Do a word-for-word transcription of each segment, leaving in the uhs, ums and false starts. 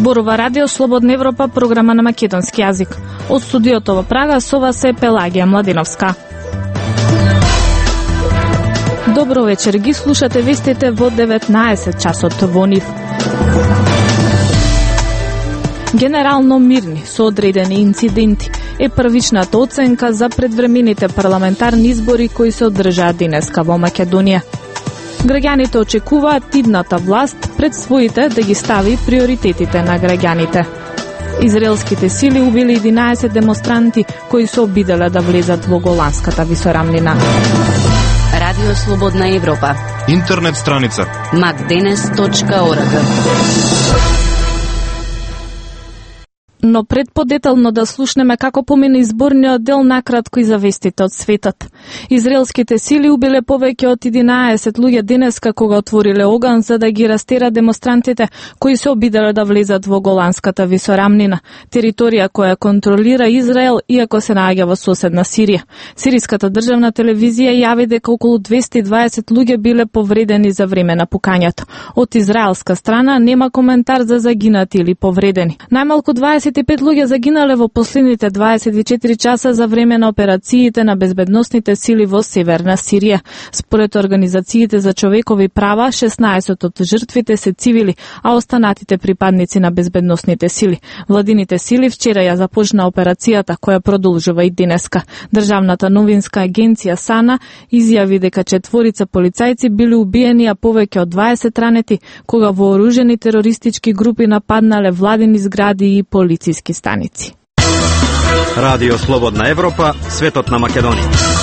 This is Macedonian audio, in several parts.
Зборува Радио Слободна Европа, програма на македонски јазик. Од студиото во Прага со вас е Пелагија Младиновска. Добро вечер, ги слушате вестите во деветнаесет часот во нив. Генерално мирни со одредени инциденти е првичната оценка за предвремените парламентарни избори кои се одржаа денеска во Македонија. Граѓаните очекуваат идната власт пред своите да ги стави приоритетите на граѓаните. Израелските сили убили единаесет демонстранти кои се обиделе да влезат во Голанската висорамнина. Радио Слободна Европа. Интернет страница макденес точка орг. Но пред подетално да слушнеме како помина изборниот дел, накратко и за вестите од светот. Израелските сили убиле повеќе од единаесет луѓе денеска кога отвориле оган за да ги растера демонстрантите кои се обиделе да влезат во Голанската висорамнина, територија која контролира Израел иако се наоѓа во соседна Сирија. Сириската државна телевизија јави дека околу двесте и дваесет луѓе биле повредени за време на пукањето. Од израелска страна нема коментар за загинати или повредени. Најмалку дваесет и пет луѓе загинале во последните дваесет и четири часа за време на операциите на безбедносните сили во северна Сирија. Според организациите за човекови права, шеснаесет од жртвите се цивили, а останатите припадници на безбедносните сили. Владините сили вчера ја започна операцијата која продолжува и денеска. Државната новинска агенција САНА изјави дека четворица полицајци били убиени, а повеќе од дваесет ранети кога вооружени терористички групи нападнале владини згради и полициски станици. Радио Слободна Европа, светот на Македонија.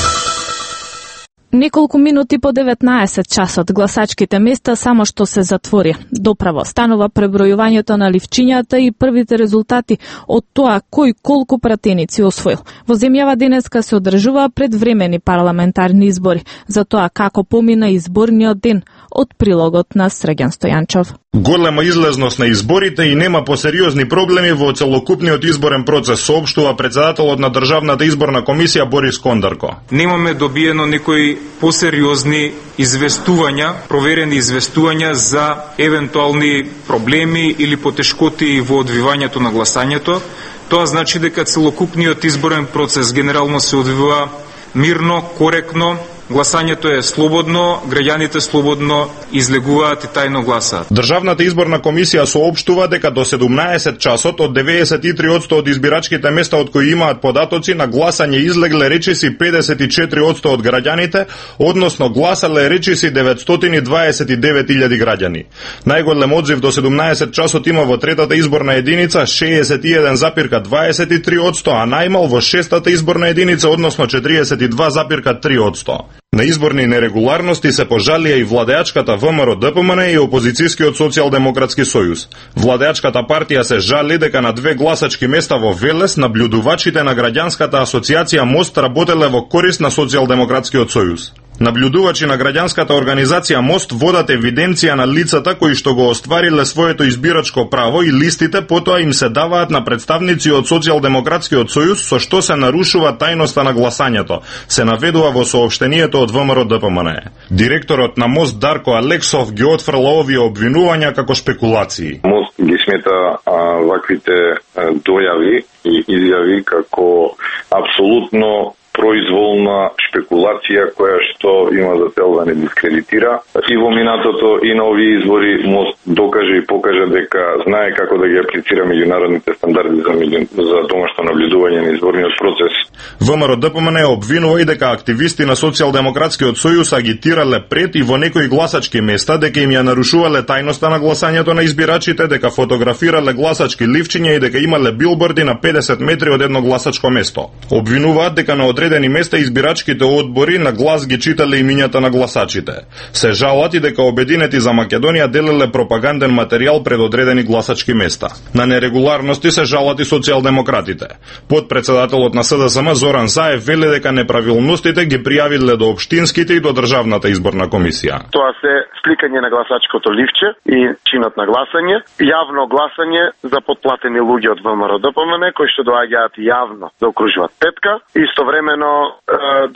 Неколку минути по деветнаесет часот гласачките места само што се затвори. Доправо станува пребројувањето на ливчињата и првите резултати од тоа кој колку пратеници освоил. Во земјава денеска се одржува предвремени парламентарни избори. За тоа како помина изборниот ден, од прилогот на Срđan Стојанчов. Голема излезност на изборите и нема посериозни проблеми во целокупниот изборен процес, соопштува председателот на Државната изборна комисија Борис Кондарко. Немаме добиено некои посериозни известувања, проверени известувања за евентуални проблеми или потешкоти во одвивањето на гласањето. Тоа значи дека целокупниот изборен процес генерално се одвива мирно, коректно. Гласањето е слободно, граѓаните слободно излегуваат и тајно гласаат. Државната изборна комисија соопштува дека до седумнаесет часот од деветдесет и три одсто од избирачките места од кои имаат податоци на гласање излегле речиси педесет и четири одсто од граѓаните, односно гласале речиси деветстотини и дваесет и девет илјади граѓани. Најголем одзив до седумнаесет часот има во третата изборна единица шеесет и еден запирка дваесет и три одсто, а најмал во шестата изборна единица, односно четириесет и два запирка три одсто. На изборни нерегуларности се пожалија и владеачката ВМРО-ДПМН и опозицијскиот социјалдемократски сојуз. Владеачката партија се жали дека на две гласачки места во Велес наблюдувачите на граѓанската асоциација Мост работеле во корист на социјалдемократскиот сојуз. Наблюдувачи на граѓанската организација Мост водат евиденција на лицата кои што го оствариле своето избирачко право и листите потоа им се даваат на представници од Социјалдемократскиот сојуз, со што се нарушува тајноста на гласањето, се наведува во соопштението од ВМРО-ДПМН. Директорот на Мост Дарко Алексов ги отфрла овие обвинувања како шпекулации. Мост ги смета а, ваквите а, дојави и изјави како апсолутно произволна шпекулација која што има за цел да не дискредитира. И во минатото и на овие избори Мост докаже и покаже дека знае како да ги аплицира меѓународните стандарди за, за домашно наблюдување на изборниот процес. ВМРО-ДПМН обвинува и дека активисти на Социјалдемократскиот сојуз агитирале пред и во некои гласачки места дека им ја нарушувале тајноста на гласањето на избирачите, дека фотографирале гласачки ливчиња и дека имале билборди на педесет метри од едно гласачко место. Обвинуваат дека на одредени места избирачките одбори на глас ги читале имињата на гласачите. Се жалат и дека обединети за Македонија делеле пропаганден материјал пред одредени гласачки места. На нерегуларности се жалат и социјалдемократите. Подпредседателот на СДСМ Зоран Заев вели дека неправилностите ги пријавиле до општинските и до Државната изборна комисија. Тоа се сликање на гласачкото ливче и чинот на гласање, јавно гласање за подплатени луѓе од ВМРО-ДПМН кои што доаѓаат јавно да окружуваат петка, истовремено Истовремено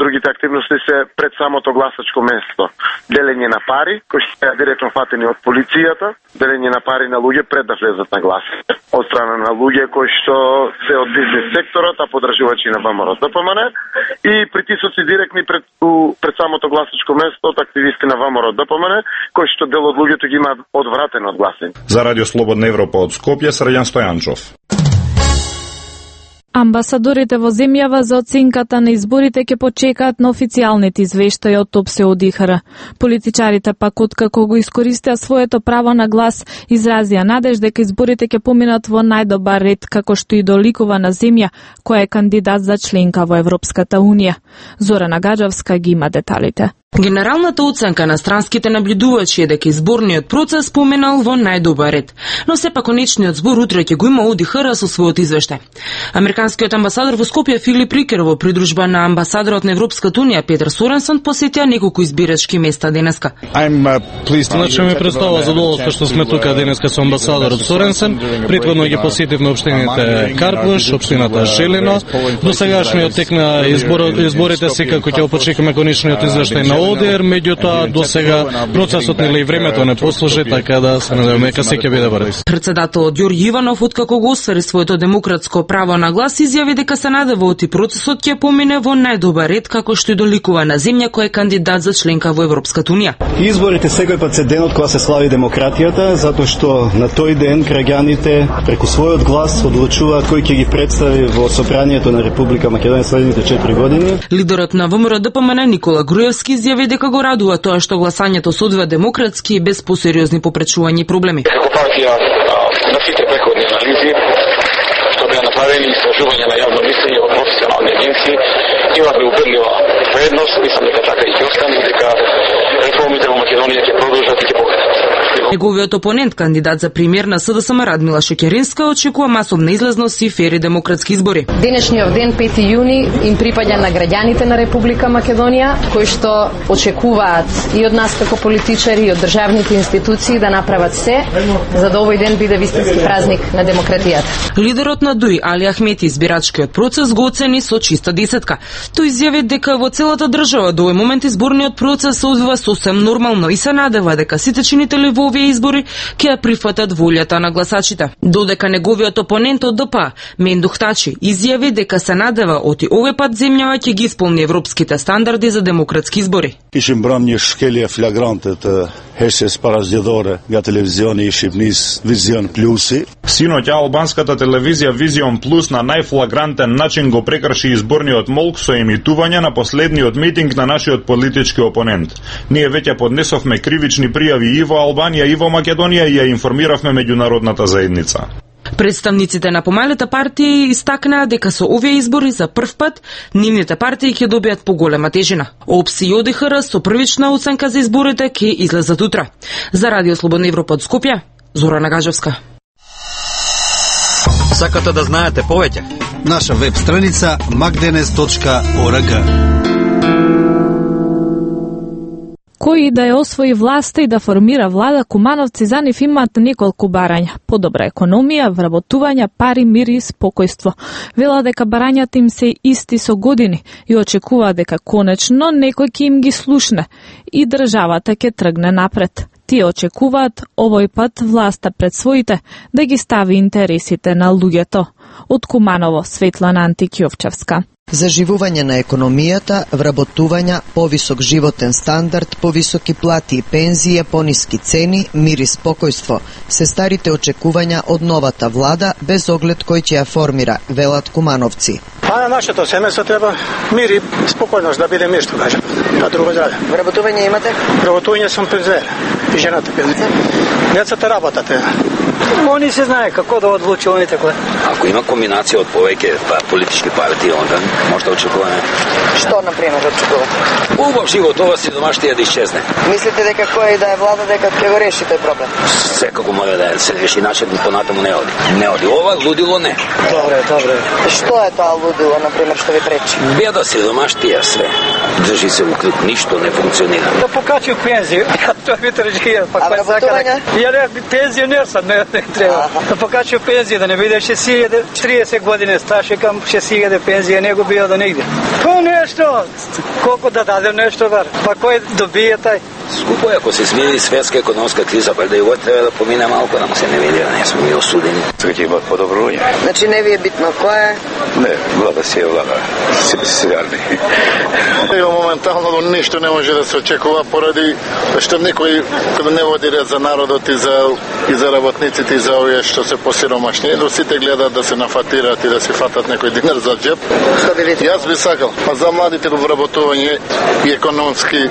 другите активности се пред самото гласачко место. Делење на пари, кои се директно фатени од полицијата, делење на пари на луѓе пред да влезат на гласање. Од страна на луѓе кои што се од бизнес секторот, а подржувачи на ВМРО Д П М Н, и притисоци директни пред, пред самото гласачко место од активисти на ВМРО Д П М Н, кои што дел од луѓето ги имаат одвратено од гласање. За Радио Слободна Европа од Скопје, Срđan Стојанчов. Амбасадорите во земјава за оценката на изборите ќе почекаат на официјалните извештаи од ОПСЕ од И Х Р. Политичарите пак откако го искористија своето право на глас, изразија надеж дека изборите ќе поминат во најдобар ред, како што и доликува на земја која е кандидат за членка во Европската Унија. Зорана Гаджевска ги има деталите. Генералната оценка на странските наблюдувачи е дека изборниот процес поминал во најдобар ред, но сепак конечниот збор утре ќе го има од И Х Р со својот извештај. Американскиот амбасадор во Скопје Филип Рикер во придружба на амбасадорот на Европската Унија Петер Соренсон посетија неколку избирачки места денеска. Значи ми представува задоволство што сме тука денеска со амбасадорот Соренсен. Претходно ги посетивме општините Карпуш, општината Желино. До сегашниот тек на изборот, изборите секако ќе почекаме конечниот извештај на О Д Р, меѓутоа до сега процесот нели и времето не послужи, така да се надеваме дека се ќе биде брз. Председателот Ѓорѓи Иванов, откако го оствари своето демократско право на глас, изјави дека се надева оти процесот ќе помине во најдобар ред, како што и доликува на земја која е кандидат за членка во Европската Унија. Изборите секој пат се денот кога се слави демократијата, затоа што на тој ден граѓаните преку својот глас одлучуваат кој ќе ги представи во собранието на Република Македонија следните четири години. Лидерот на ВМРО Д П М Н Никола Груевски изјави дека го радува тоа што гласањето се одвива демократски и без посериозни попречувања и проблеми. Како партија на сите преходни анализи што беа направени истражувања на јавно мислење од професионални агенции, имавме убедлива предност, мислам дека така и ќе остане, дека реформите во Македонија ќе продолжат и ќе покажат. Неговиот опонент, кандидат за премиер на С Д С М Радмила Шекеринска, очекува масовна излазност и фери демократски избори. Денешниот ден, пети јуни, им припаѓа на граѓаните на Република Македонија, кои што очекуваат и од нас како политичари и од државните институции да направат се за да овој ден биде вистински празник на демократијата. Лидерот на Дуј Али Ахмети избирачкиот процес го оцени со чиста десетка. Тој изјави дека во целата држава до овој момент изборниот процес се одвива сосем нормално и се надева дека сите чинители во овие избори ќе ја прифатат волјата на гласачите. Додека неговиот опонент од Д П А, Мендух Тачи, изјави дека се надева оти овој пат земјава ќе ги исполни европските стандарди за демократски избори. Ishim bram një shkelje flagrante të hersjes parazgjedhore nga televizioni i Shqipërisë Vizion Plusi. Синоќ албанската телевизија Vision Plus на најфлагрантен начин го прекрши изборниот молк со емитување на последниот митинг на нашиот политички опонент. Ние веќе поднесовме кривични пријави и во Албанија и во Македонија и ја информиравме меѓународната заедница. Представниците на помалите партии истакнаа дека со овие избори за прв пат нивните партии ќе добијат поголема тежина. ОПСЕ и О Д Х Р со првична оценка за изборите ќе излезат утре. За Радио Слободна Европа од Скопје, Зорана Гаджевска. Сакате да знаете повеќе? Наша веб страница макденес точка орг. Кој да ја освои власта и да формира влада, кумановци за нив имаат неколку барања. Подобра економија, вработување, пари, мир и спокојство. Вела дека барањата им се исти со години и очекува дека конечно некој ќе им ги слушне и државата ќе тргне напред. Тие очекуваат овој пат власта пред своите да ги стави интересите на луѓето. Од Куманово, Светлана Антикјовчевска. Заживување на економијата, вработувања, повисок животен стандард, повисоки плати и пензии, пониски цени, мир и спокојство се старите очекувања од новата влада без оглед кој ќе ја формира, велат кумановци. А на нашето семејство треба мир и спокојност да биде мир, што кажам. А друго здраве. Вработување имате? Вработување сум пензиер. И жената пензиер. Децата работат. Они се знае како да одлучи они така. Ако има комбинација од повеќе политички партии, онда може да очекуваме. Што, например, очекувате? Убав живот, ова сидомаштија да исчезне. Мислите дека кој да е влада дека ќе го реши тој проблем? Секако може да се реши, иначе понатаму не оди. Не оди. Ова лудило не. Добре, добре. Што е тоа лудило, например, што ви пречи? Беда, сидомаштија све. Држи се у клип, ништо не функционира. Да покачи пензија, тоа ми тржија, па кој сака. Ја не пензионер сам, не, не треба. Да покачи пензија, да не биде шест илјади, триесет години стаж, кам шест илјади пензија, не го бија до нигде. Па нешто, колку да дадем нешто, бар. Па кој добие тај? Скупо е, ако се смири светска економска криза, па да и вот треба да помине малко, да му се не види, да не сме ми осудени. Сега ќе имат подобрување. Значи не ви е битно која? Не, влада си е влада. Си реални. Моментално ништо не може да се очекува поради што некој кога не води ред за народот и за и за работниците и за овие што се посиромашни, до сите гледаат да се нафатираат и да се фатат некој динар за џеб. Јас би сакал, а за младите во вработување и економски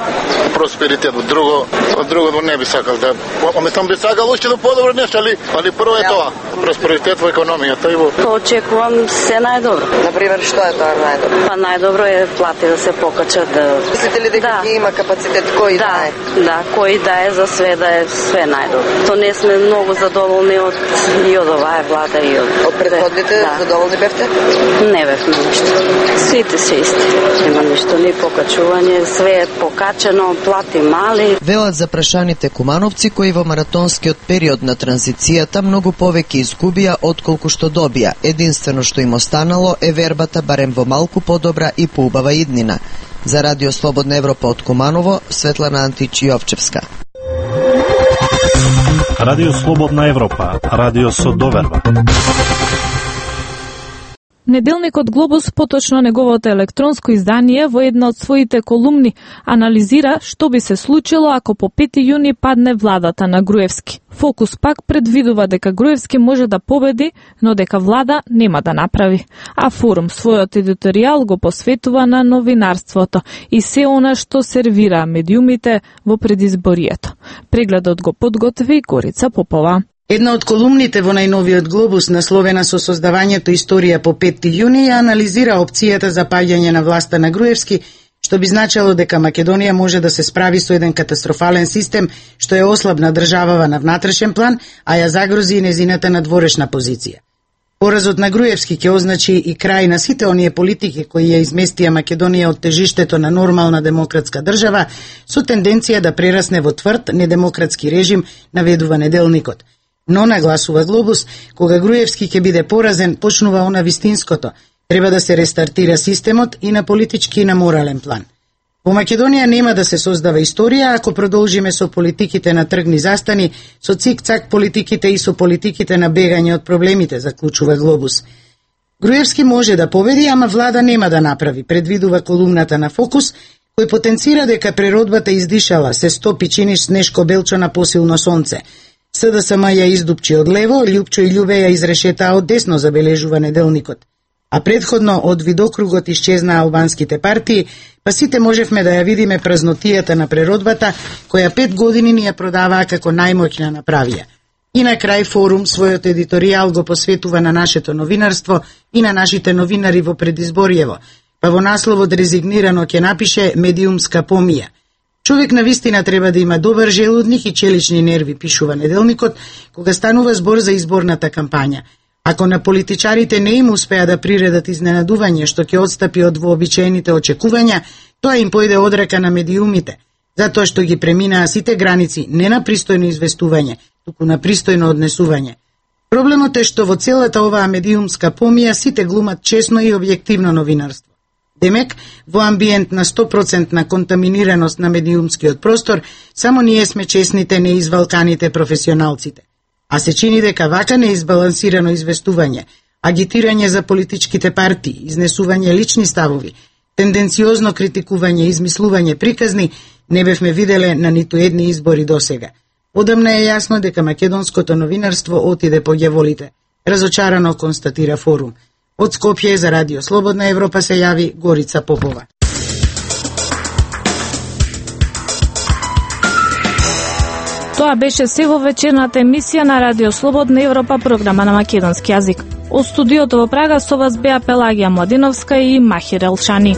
просперитет, друго, друго не би сакал да. Аме там би сакал уште да подобро нешто, али али прво е тоа, просперитет во економијата и во. Очекувам се најдобро. Например, што е тоа најдобро? Па најдобро е плати да се покачат. Да... Мислите ли дека да. Ги има капацитет кој да, да е? Да, кој да е за све да е све најдобро. То не сме многу задоволни од и од оваа влада и од од претходните да. Задоволни бевте? Не бевме ништо. Сите се исти. Нема ништо, ни покачување, све е покачено, плати мали. Велат за прашаните кумановци кои во маратонскиот период на транзицијата многу повеќе изгубија отколку што добија. Единствено што им останало е вербата барем во малку подобра и поубава иднина. За Радио Слободна Европа од Куманово, Светлана Антич Јовчевска. Радио Слободна Европа, радио со доверба. Неделникот Глобус, поточно неговото електронско издание, во една од своите колумни анализира што би се случило ако по пети јуни падне владата на Груевски. Фокус пак предвидува дека Груевски може да победи, но дека влада нема да направи. А Форум својот едиторијал го посветува на новинарството и се она што сервира медиумите во предизборието. Прегледот го подготви Горица Попова. Една од колумните во најновиот Глобус, насловена со создавањето историја по пети јуни, ја анализира опцијата за паѓање на власта на Груевски, што би значило дека Македонија може да се справи со еден катастрофален систем, што е ослабна државава на внатрешен план, а ја загрози и незината надворешна позиција. Поразот на Груевски ќе означи и крај на сите оние политики кои ја изместија Македонија од тежиштето на нормална демократска држава, со тенденција да прерасне во тврд недемократски режим, наведува неделникот. Но, нагласува Глобус, кога Груевски ќе биде поразен, почнува она вистинското. Треба да се рестартира системот и на политички и на морален план. Во Македонија нема да се создава историја ако продолжиме со политиките на тргни застани, со цик-цак политиките и со политиките на бегање од проблемите, заклучува Глобус. Груевски може да победи, ама влада нема да направи, предвидува колумната на Фокус, кој потенцира дека природбата издишала, се стопи чиниш снешко белчо на посилно сонце. СДСМ ја издупчи од лево, Љупчо и Љубе ја изрешетаа од десно, забележува неделникот. А предходно од видокругот исчезнаа албанските партии, па сите можевме да ја видиме празнотијата на природбата, која пет години ни ја продаваа како најмоќна направија. И на крај Форум својот едиторијал го посветува на нашето новинарство и на нашите новинари во предизбориево, па во насловот резигнирано ќе напише медиумска помија. Човек на вистина треба да има добар желудник и челични нерви, пишува неделникот, кога станува збор за изборната кампања. Ако на политичарите не им успеа да приредат изненадување што ќе одстапи од вообичаените очекувања, тоа им појде одрака на медиумите, затоа што ги преминаа сите граници не на пристојно известување, туку на пристојно однесување. Проблемот е што во целата оваа медиумска помија сите глумат честно и објективно новинарство. Демек, во амбиент на сто проценти на контаминираност на медиумскиот простор, само ние сме честните, неизвалканите професионалците. А се чини дека вака неизбалансирано известување, агитирање за политичките партии, изнесување лични ставови, тенденциозно критикување и измислување приказни, не бевме виделе на ниту едни избори досега. Одамна е јасно дека македонското новинарство отиде по ѓаволите, разочарано констатира Форум. Од Скопје за Радио Слободна Европа се јави Горица Попова. Тоа беше се во вечерната емисија на Радио Слободна Европа, програма на македонски јазик. Од студиото во Прага со вас беа Пелагија Младиновска и Махир Елшани.